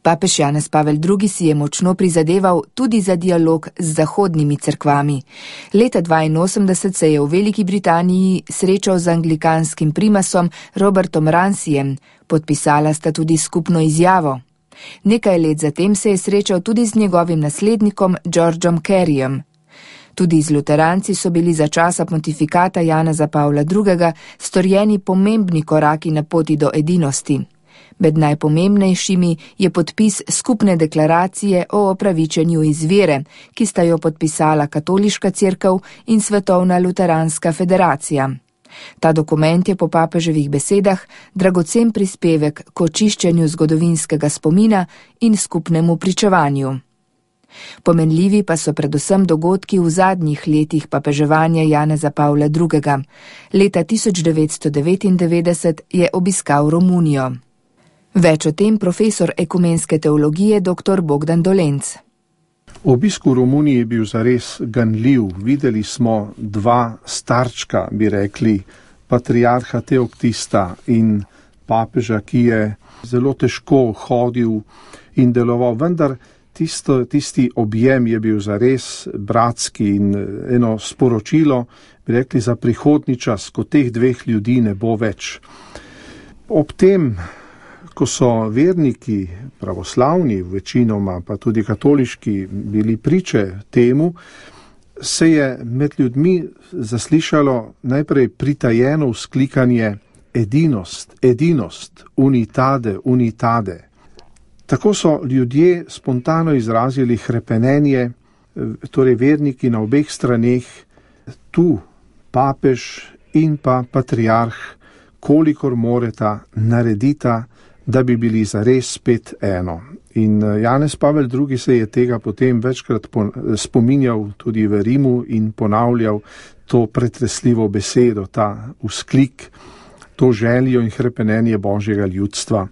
Papež Janez Pavel II. Si je močno prizadeval tudi za dialog z zahodnimi cerkvami. Leta 1982 se je v Veliki Britaniji srečal z anglikanskim primasom Robertom Rancijem, podpisala sta tudi skupno izjavo. Nekaj let zatem se je srečal tudi z njegovim naslednikom Georgeom Careyjem. Tudi z luteranci so bili za časa pontifikata Janeza Pavla II. Storjeni pomembni koraki na poti do edinosti. Med najpomembnejšimi je podpis skupne deklaracije o opravičenju iz vere, ki sta jo podpisala Katoliška cerkev in Svetovna luteranska federacija. Ta dokument je po papeževih besedah dragocen prispevek k očiščenju zgodovinskega spomina in skupnemu pričevanju. Pomenljivi pa so predvsem dogodki v zadnjih letih papeževanja Janeza Pavla II. Leta 1999 je obiskal Romunijo. Več o tem profesor ekumenske teologije dr. Bogdan Dolenc. Obisk v Romuniji je bil zares ganljiv. Videli smo dva starčka, bi rekli, patriarha Teoktista in papeža, ki je zelo težko hodil in deloval, vendar tisti objem je bil zares bratski in eno sporočilo, bi rekli, za prihodnji čas, ko teh dveh ljudi ne bo več. Ob tem, ko so verniki pravoslavni, večinoma pa tudi katoliški, bili priče temu, se je med ljudmi zaslišalo najprej pritajeno vzklikanje edinost, edinost, unitade, unitade. Tako so ljudje spontano izrazili hrepenenje, torej verniki na obeh straneh, tu papež in pa patriarh, kolikor moreta, naredita, da bi bili zares spet eno. In Janez Pavel II. Se je tega potem večkrat spominjal tudi v Rimu in ponavljal to pretresljivo besedo, ta vzklik, to željo in hrepenenje Božjega ljudstva.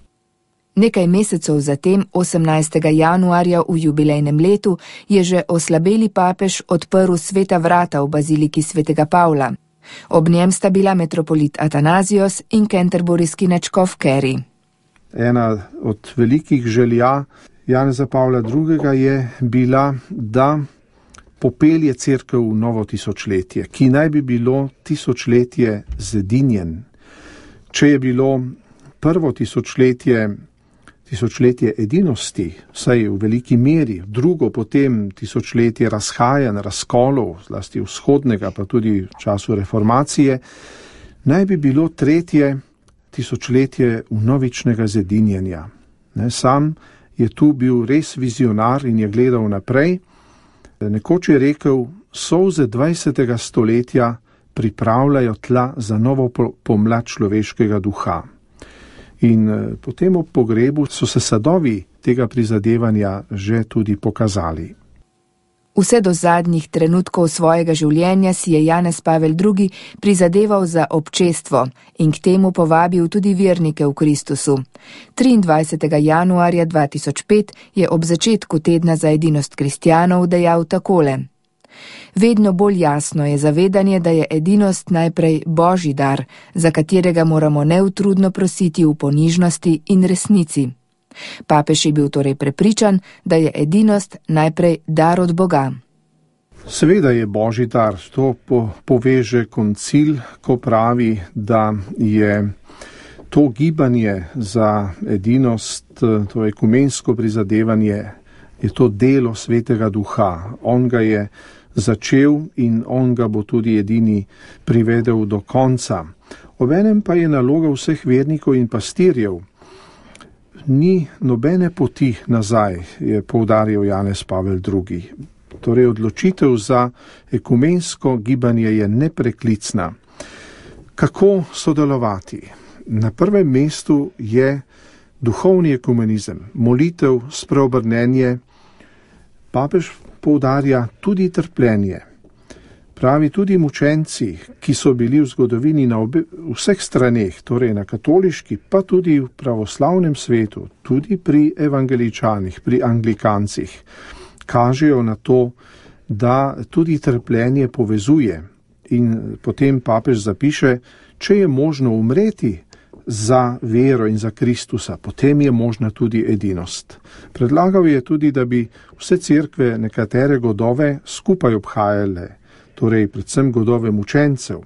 Nekaj mesecev zatem, 18. januarja v jubilejnem letu, je že oslabeli papež odprl sveta vrata v baziliki svetega Pavla. Ob njem sta bila metropolit Atanazijos in kenterburijski nadškof Carey. Ena od velikih želja Janeza Pavla II. Je bila, da popelje cerkev v novo tisočletje, ki naj bi bilo tisočletje zedinjen. Če je bilo prvo tisočletje edinosti, vsaj v veliki meri, drugo potem tisočletje razhajanj, razkolov, zlasti vzhodnega, pa tudi v času reformacije, naj bi bilo tretje tisočletje vnovičnega zedinjenja. Sam je tu bil res vizionar in je gledal naprej. Nekoč je rekel, solze 20. stoletja pripravljajo tla za novo pomlad človeškega duha. In potem ob pogrebu so se sadovi tega prizadevanja že tudi pokazali. Vse do zadnjih trenutkov svojega življenja si je Janez Pavel II. Prizadeval za občestvo in k temu povabil tudi vernike v Kristusu. 23. januarja 2005 je ob začetku tedna za edinost kristjanov dejal takole. Vedno bolj jasno je zavedanje, da je edinost najprej Božji dar, za katerega moramo neutrudno prositi v ponižnosti in resnici. Papež je bil torej prepričan, da je edinost najprej dar od Boga. Seveda je Božji dar, to poveže koncil, ko pravi, da je to gibanje za edinost, to ekumensko prizadevanje, je to delo Svetega Duha. On ga je začel in on ga bo tudi edini privedel do konca. Obenem pa je naloga vseh vernikov in pastirjev. Ni nobene poti nazaj, je poudaril Janez Pavel II. Torej odločitev za ekumensko gibanje je nepreklicna. Kako sodelovati? Na prvem mestu je duhovni ekumenizem, molitev, spreobrnenje. Papež poudarja tudi trpljenje. Pravi, tudi mučenci, ki so bili v zgodovini na vseh straneh, torej na katoliški, pa tudi v pravoslavnem svetu, tudi pri evangeličanih, pri anglikancih, kažejo na to, da tudi trpljenje povezuje. In potem papež zapiše, če je možno umreti za vero in za Kristusa, potem je možna tudi edinost. Predlagal je tudi, da bi vse cerkve nekatere godove skupaj obhajale, torej predvsem godove mučencev.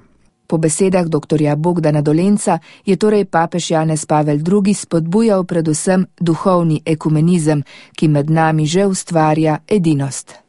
Po besedah dr. Bogdana Dolenca je torej papež Janez Pavel II. Spodbujal predvsem duhovni ekumenizem, ki med nami že ustvarja edinost.